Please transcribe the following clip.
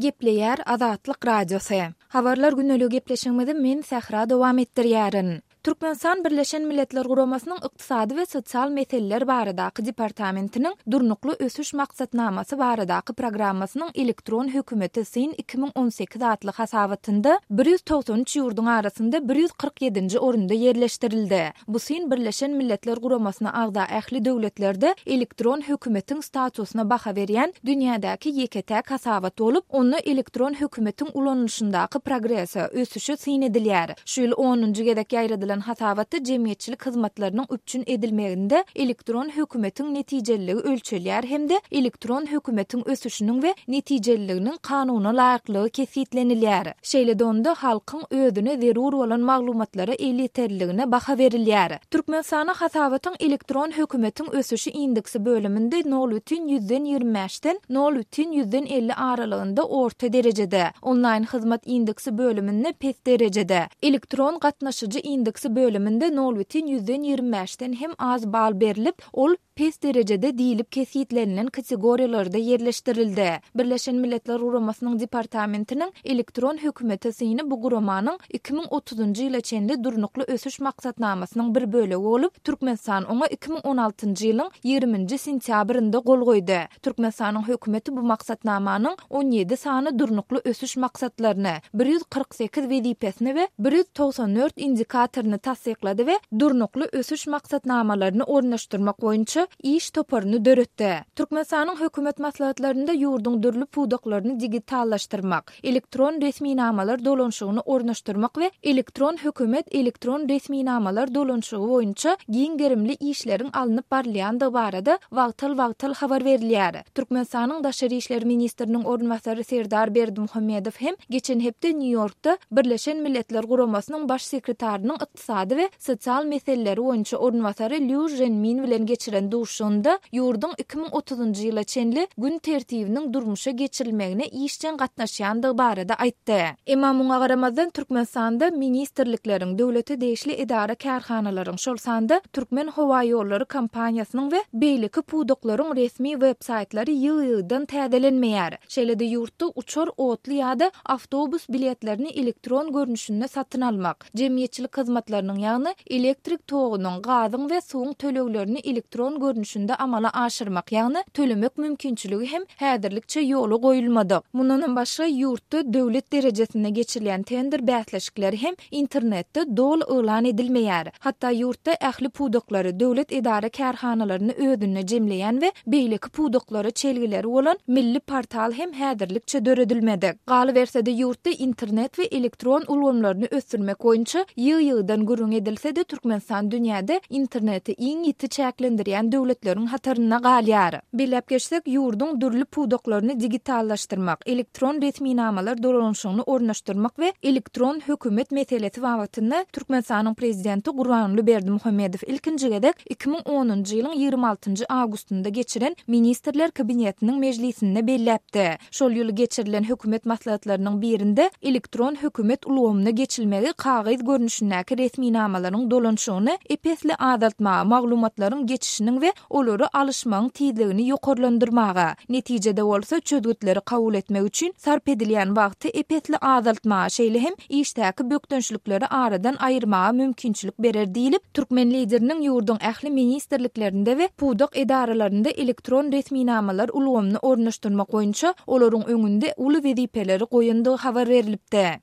Gepleýär Azatlyk Radiosy. Habarlar gündeligi gepleşigimizi men Sähra dowam etdirýärin. Türkmenistan Birleşen Milletler Guramasynyň Ykdysady we sosial meseleler baradaky departamentiniň Durnukly ösüş maksatnamasy baradaky programmasynyň Elektron hökümete syn 2018 atly hasabatynda 193 ýurduň arasynda 147-nji orunda ýerleşdirildi. Bu syn Birleşen Milletler Guramasyna agza ähli döwletlerde elektron hökümetiň statusyna baha berýän dünýädäki ýeke-täk hasabat bolup, onda elektron hökümetiň ulanylyşyndaky progrese, ösüşe syn edilýär. Şu ýyl onunjy gezek ýaýradylan hasabatda jemgyýetçilik hyzmatlarynyň üpjün edilmeginde elektron hökümetiň netijeliligi ölçelýär hem-de elektron hökümetiň ösüşiniň we netijeliliginiň kanuna laýyklygy kesgitlenilýär. Şeýle-de onda halkyň özüne zerur bolan maglumatlara elýeterliligine baha berilýär. Türkmenistana hasabatyň Elektron hökümetiň ösüşi indeksi bölüminde nol bütin ýüzden ýigrimi bäşden nol bütin ýüzden 50 aralygynda orta derejede, Onlaýn hyzmat indeksi bölüminde pes derejede, Elektron gatnaşyjy indeksi bölüminde nol bütin ýüzden ýigrimi bäşden hem az bal berlip, ol pes derejede diýlip kesgitlenilen kategoriýalarda ýerleşdirildi. Birleşen Milletler Guramasynyň Departamentiniň Elektron hökümete syny bu guramanyň 2030-njy ýyla çenli Durnukly ösüş maksatnamasynyň bir bölegi bolup, Türkmenistan oňa 2016-njy ýylyň ýigriminji sentýabrynda gol goýdy. Türkmenistanyň hökümeti bu maksatnamanyň 17 sany Durnukly ösüş maksatlaryny, 148 wezipesini we 194 indikatoryny tassyklady we Durnukly ösüş maksatnamalaryny ornaşdyrmak boýunça iş toparyny döretdi. Türkmenistanyň hökümet maslahatlarynda ýurduň dürli pudaklaryny digitallaşdyrmak, elektron resminamalar dolanyşygyny ornaşdyrmak we elektron hökümet elektron resminamalar dolanyşygy boýunça giň gerimli işleriň alnyp barylýandygy barada wagtal-wagtal habar berilýär. Türkmenistanyň Daşary işler ministriniň orunbasary Serdar Berdimuhamedow hem geçen hepde Nýu-Ýorkda Birleşen Milletler Guramasynyň Baş sekretarynyň ykdysady we sosial meseleleri boýunça orunbasary Lýu Ženmin bilen geçiren duşuşygynda ýurduň 2030-njy ýyla çenli gün tertibiniň durmuşa geçirilmegine işjeň gatnaşýandygy barada aýtdy. Emma muňa garamazdan, Türkmenistanda ministrlikleriň, döwlete degişli edara-kärhanalaryň, şol sanda Türkmenhowaýollary kompaniýasynyň we beýleki pudaklaryň resmi web-saýtlary ýygy-ýygydan täzelenmeýär. Şeýle-de ýurtda uçar, otly ýa-da awtobus biletlerini elektron görnüşinde satyn almak, Jemgyýetçilik hyzmatlarynyň, ýagny elektrik togunyň, gazyň we suwuň töleglerini elektron görnüşinde amala aşyrmak, ýagny tölemek mümkinçiligi hem häzirlikçe ýola goýulmadyk. Mundanam başga, ýurtda döwlet derejesinde geçirilýän tender bäsleşikleri hem internetde doly yglan edilmeýär. Hatda ýurtda ähli pudaklary, döwlet edara-kärhanalaryny özünde jemleýän we beýleki pudaklara çelgileri bolan milli portal hem häzirlikçe döredilmedik. Galyberse-de, ýurtda internet we elektron ulgamlaryny ösdürmek boýunça ýygy-ýygydan gürrüň edilse-de, Türkmenistan dünýäde interneti iň ýiti çäklendirýän döwletleriň hatarynda galýar. Belläp geçsek, ýurduň dürli pudaklaryny digitallaşdyrmak, elektron resminamalar dolanyşygyny ornaşdyrmak we elektron hökümet meselesi babatynda Türkmenistanyň Prezidenti Gurbanguly Berdimuhamedow ilkinji gezek 2010-njy ýylyň 26-njy awgustynda geçiren Ministrler Kabinetiniň mejlisinde belläpdi. Şol ýyl geçirilen hökümet maslahatlarynyň birinde elektron hökümet ulgamyna geçilmegi kagyz görnüşindäki resminamalaryň dolanyşygyny ep-esli azaltmaga, maglumatlaryň geçişiniň we olary alyşmagyň tizligini ýokarlandyrmaga, netijede bolsa çözgütleri kabul etmek üçin sarp edilýän wagty ep-esli azaltmaga, şeýle hem işdäki bökdençlikleri aradan aýyrmaga mümkinçilik berer diýlip, türkmen Lideriniň ýurduň ähli ministrliklerinde we pudak edaralarynda elektron resminamalar ulgamyny ornaşdyrmak boýunça olaryň öňünde uly wezipeleri goýandygy habar berlipdi.